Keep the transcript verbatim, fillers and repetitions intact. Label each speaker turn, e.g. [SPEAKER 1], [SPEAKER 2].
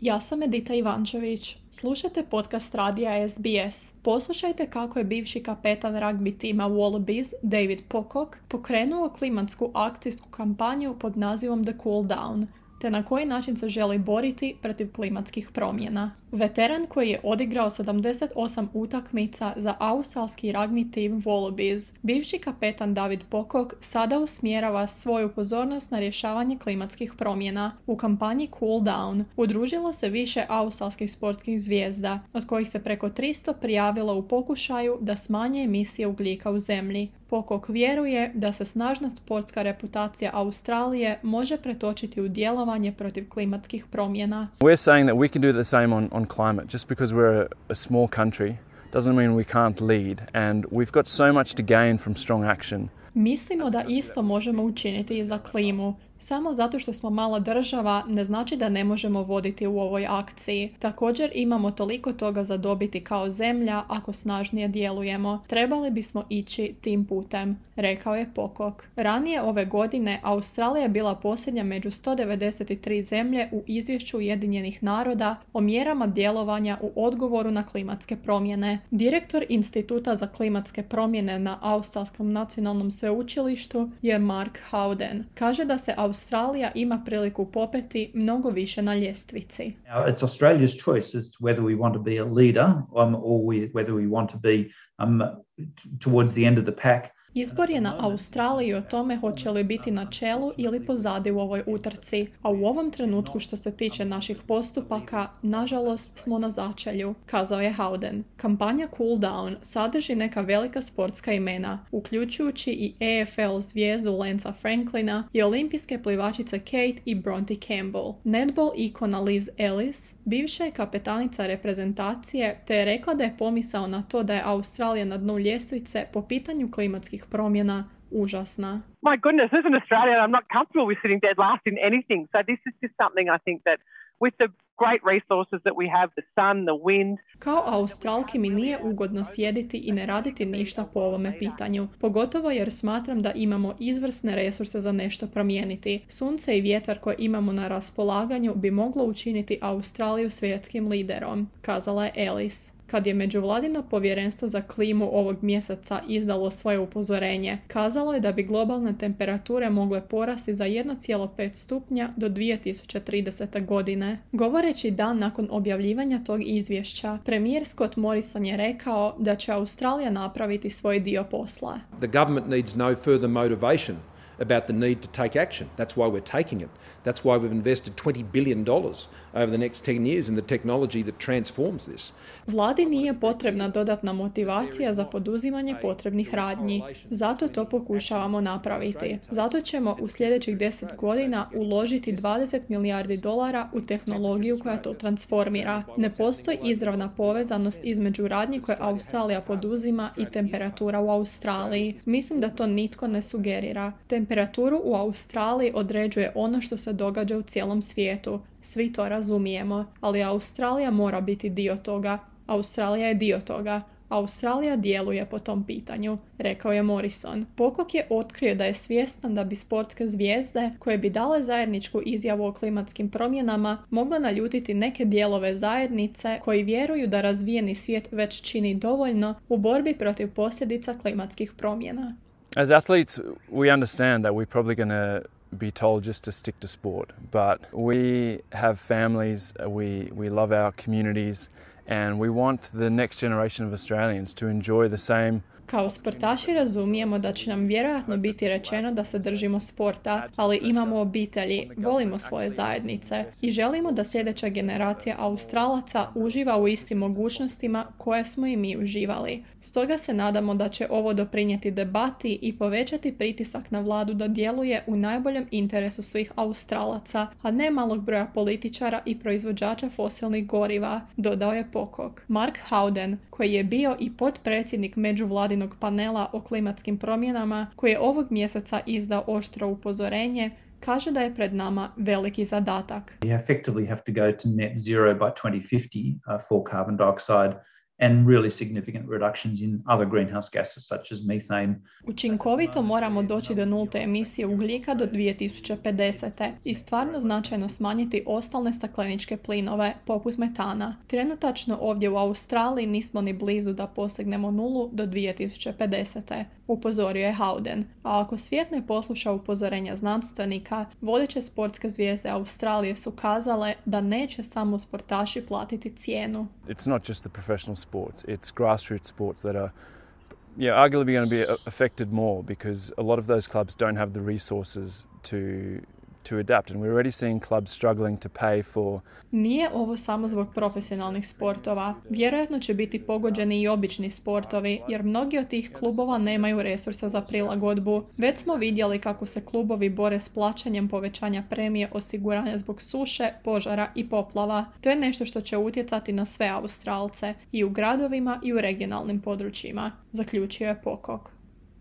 [SPEAKER 1] Ja sam Edita Ivančević. Slušajte podcast radija S B S. Poslušajte kako je bivši kapetan ragbi tima Wallabies David Pocock pokrenuo klimatsku akcijsku kampanju pod nazivom The Cool Down, te na koji način se želi boriti protiv klimatskih promjena. Veteran koji je odigrao sedamdeset osam utakmica za australski ragbi tim Wallabies, bivši kapetan David Pocock sada usmjerava svoju pozornost na rješavanje klimatskih promjena. U kampanji Cool Down udružilo se više australskih sportskih zvijezda, od kojih se preko tristo prijavilo u pokušaju da smanje emisije ugljika u zemlji. Pocock vjeruje da se snažna sportska reputacija Australije može pretočiti u djelovanje protiv klimatskih promjena.
[SPEAKER 2] We're saying that we can do the same on, on climate. Just because we're a, a small country doesn't mean we can't lead, and we've got so much to gain from strong action.
[SPEAKER 1] Mislimo da isto možemo učiniti i za klimu. Samo zato što smo mala država ne znači da ne možemo voditi u ovoj akciji. Također imamo toliko toga za dobiti kao zemlja ako snažnije djelujemo. Trebali bismo ići tim putem, rekao je Pocock. Ranije ove godine Australija je bila posljednja među sto devedeset tri zemlje u izvješću Ujedinjenih naroda o mjerama djelovanja u odgovoru na klimatske promjene. Direktor Instituta za klimatske promjene na Australskom nacionalnom sveučilištu je Mark Howden. Kaže da se Australija ima priliku popeti mnogo više na ljestvici.
[SPEAKER 3] Now, it's Australia's choice as to whether we want to be a leader um, or we, whether we want to be um, t- towards the end of the pack.
[SPEAKER 1] Izbor je na Australiji o tome hoće li biti na čelu ili pozadi u ovoj utrci, a u ovom trenutku što se tiče naših postupaka, nažalost smo na začelju, kazao je Howden. Kampanja Cool Down sadrži neka velika sportska imena, uključujući i A F L zvijezdu Lancea Franklina i olimpijske plivačice Kate i Bronte Campbell. Netball ikona Liz Ellis, bivša je kapetanica reprezentacije, te je rekla da je pomisao na to da je Australija na dnu ljestvice po pitanju klimatskih promjena užasna.
[SPEAKER 4] My goodness, as an Australian, I'm not comfortable with sitting dead last in anything. So this is just something I think that with the great resources that we have, the sun, the wind.
[SPEAKER 1] Kao Australki mi nije ugodno sjediti i ne raditi ništa po ovome pitanju, pogotovo jer smatram da imamo izvrsne resurse za nešto promijeniti. Sunce i vjetar koje imamo na raspolaganju bi moglo učiniti Australiju svjetskim liderom, kazala je Ellis. Kad je Međuvladino povjerenstvo za klimu ovog mjeseca izdalo svoje upozorenje, kazalo je da bi globalne temperature mogle porasti za jedan zarez pet stupnja do dvije tisuće tridesete. godine. Govoreći dan nakon objavljivanja tog izvješća, premijer Scott Morrison je rekao da će Australija napraviti svoj dio posla.
[SPEAKER 5] The government needs no further motivation about the need to take action. That's why we're taking it. That's why we've invested twenty billion dollars over the next ten years in the technology that transforms this.
[SPEAKER 1] Vladi nije potrebna dodatna motivacija za poduzimanje potrebnih radnji. Zato to pokušavamo napraviti. Zato ćemo u sljedećih deset godina uložiti dvadeset milijardi dolara u tehnologiju koja to transformira. Ne postoji izravna povezanost između radnji koje Australija poduzima i temperatura u Australiji. Mislim da to nitko ne sugerira. Temperaturu u Australiji određuje ono što se događa u cijelom svijetu. Svi to razumijemo, ali Australija mora biti dio toga. Australija je dio toga. Australija djeluje po tom pitanju, rekao je Morrison. Pocock je otkrio da je svjestan da bi sportske zvijezde, koje bi dale zajedničku izjavu o klimatskim promjenama, mogle naljutiti neke dijelove zajednice koji vjeruju da razvijeni svijet već čini dovoljno u borbi protiv posljedica klimatskih promjena.
[SPEAKER 2] As athletes, we understand that we're probably going to be told just to stick to sport, but we have families, we, we love our communities, and we want the next generation of Australians to enjoy the same.
[SPEAKER 1] Kao sportaši razumijemo da će nam vjerojatno biti rečeno da se držimo sporta, ali imamo obitelji, volimo svoje zajednice i želimo da sljedeća generacija Australaca uživa u istim mogućnostima koje smo i mi uživali. Stoga se nadamo da će ovo doprinijeti debati i povećati pritisak na vladu da djeluje u najboljem interesu svih Australaca, a ne malog broja političara i proizvođača fosilnih goriva, dodao je Pocock. Mark Howden, koji je bio i potpredsjednik međuvladinog panela o klimatskim promjenama, koji je ovog mjeseca izdao oštro upozorenje, kaže da je pred nama veliki zadatak.
[SPEAKER 3] We effectively have to go to net zero by twenty fifty uh, for carbon dioxide and really significant reductions in other greenhouse gases such as methane.
[SPEAKER 1] Učinkovito moramo doći do nulte emisije ugljika do dvije tisuće pedesete i stvarno značajno smanjiti ostalne stakleničke plinove, poput metana. Trenutačno ovdje u Australiji nismo ni blizu da postignemo nulu do dvije tisuće pedesete, upozorio je Howden. A ako svijet ne posluša upozorenja znanstvenika, vodeće sportske zvijezde Australije su kazale da neće samo sportaši platiti cijenu.
[SPEAKER 2] It's not just the professional sports, it's grassroots sports that are yeah, arguably going to be affected more because a lot of those clubs don't have the resources to to adapt, and we're already seeing clubs struggling to pay for.
[SPEAKER 1] Nije ovo samo zbog profesionalnih sportova. Vjerojatno će biti pogođeni i obični sportovi, jer mnogi od tih klubova nemaju resursa za prilagodbu. Već smo vidjeli kako se klubovi bore s plaćanjem povećanja premije osiguranja zbog suše, požara i poplava. To je nešto što će utjecati na sve Australce, i u gradovima i u regionalnim područjima, zaključio je Pocock.